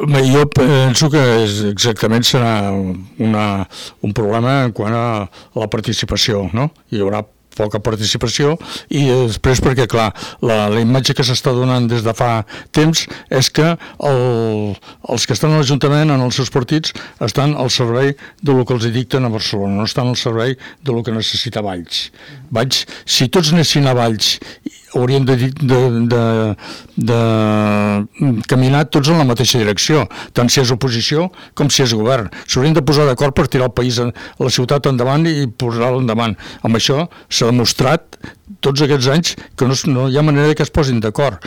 Jo penso que exactament serà un problema quant a la participació, no? Hi haurà poca participació i després perquè, clar, la imatge que s'està donant des de fa temps és que els que estan a l'Ajuntament, en els seus partits, estan al servei del que els dicten a Barcelona, no estan al servei del que necessita Valls. Si tots anessin a Valls haurien de caminar tots en la mateixa direcció, tant si és oposició com si és govern. S'haurien de posar d'acord per tirar el país, la ciutat endavant i posar-la endavant. Amb això s'ha demostrat tots aquests anys que no hi ha manera que es posin d'acord.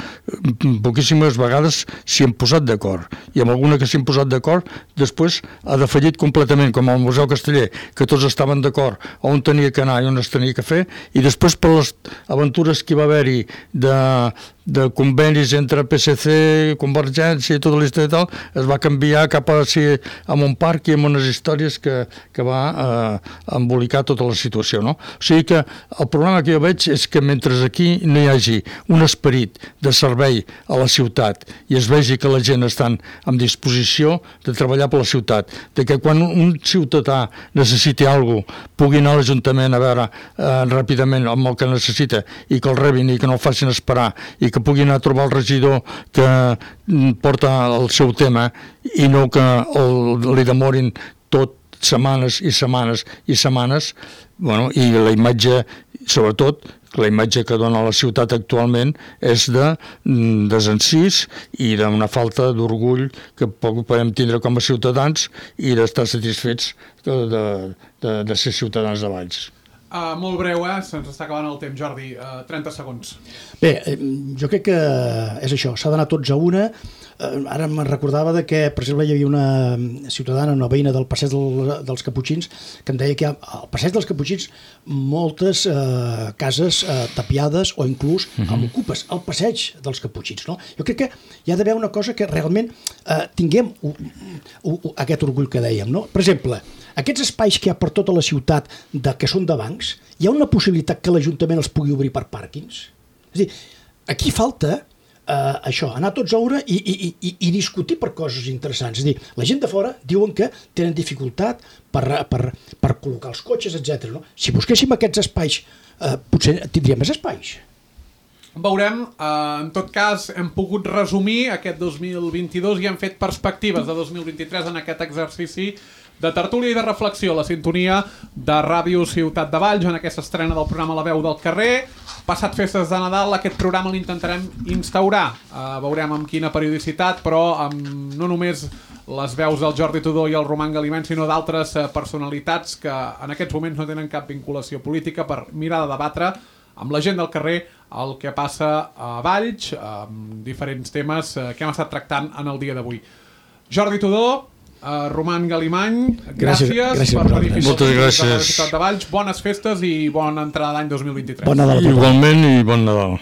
Poquíssimes vegades s'hi han posat d'acord, i amb alguna que s'hi han posat d'acord després ha defallit completament, com el Museu Casteller, que tots estaven d'acord on tenia que anar i on es tenia que fer, i després per les aventures que hi va haver-hi de convenis entre PSC, Convergència i tota la història i tal, es va canviar cap a un parc i amb unes històries que va embolicar tota la situació, no? O sigui que el problema que jo veig és que mentre aquí no hi hagi un esperit de servei a la ciutat i es vegi que la gent està en disposició de treballar per la ciutat, de que quan un ciutadà necessiti alguna cosa pugui anar a l'Ajuntament a veure ràpidament amb el que necessita i que el rebin i que no el facin esperar i que pugui anar a trobar el regidor que porta el seu tema i no que li demorin tot setmanes i setmanes i setmanes, bueno, i la imatge, sobretot, la imatge que dona la ciutat actualment és de desencís i d'una falta d'orgull que podem tindre com a ciutadans i d'estar satisfets de ser ciutadans de Valls. Molt breu, se'ns està acabant el temps, Jordi. 30 segons. Bé, jo crec que és això, s'ha d'anar tots a una. Ara me'n recordava que, per exemple, hi havia una ciutadana, una veïna del Passeig dels Caputxins, que em deia que hi ha al Passeig dels Caputxins moltes cases tapiades o inclús amb ocupes, al Passeig dels Caputxins, no? Jo crec que hi ha d'haver una cosa que realment tinguem aquest orgull que dèiem, no? Per exemple, aquests espais que hi ha per tota la ciutat que són de bancs, hi ha una possibilitat que l'Ajuntament els pugui obrir per pàrquings? És a dir, aquí falta això, anar tots a una i discutir per coses interessants. És a dir, la gent de fora diuen que tenen dificultat per col·locar els cotxes, etc. No? Si busquéssim aquests espais, potser tindríem més espais. Veurem, en tot cas hem pogut resumir aquest 2022 i hem fet perspectives de 2023 en aquest exercici de tertúlia i de reflexió, la sintonia de Ràdio Ciutat de Valls en aquesta estrena del programa La Veu del Carrer. Passat festes de Nadal, aquest programa l'intentarem instaurar. Veurem amb quina periodicitat, però amb no només les veus del Jordi Tudó i el Roman Galimany, sinó d'altres personalitats que en aquests moments no tenen cap vinculació política per mirar de debatre amb la gent del carrer el que passa a Valls, amb diferents temes que hem estat tractant en el dia d'avui. Jordi Tudó, Roman Galimany, gràcies per venir fins Moltes gràcies. a la ciutat de Valls. Bones festes i bona entrada d'any 2023. Bon Nadal. Igualment i bon Nadal.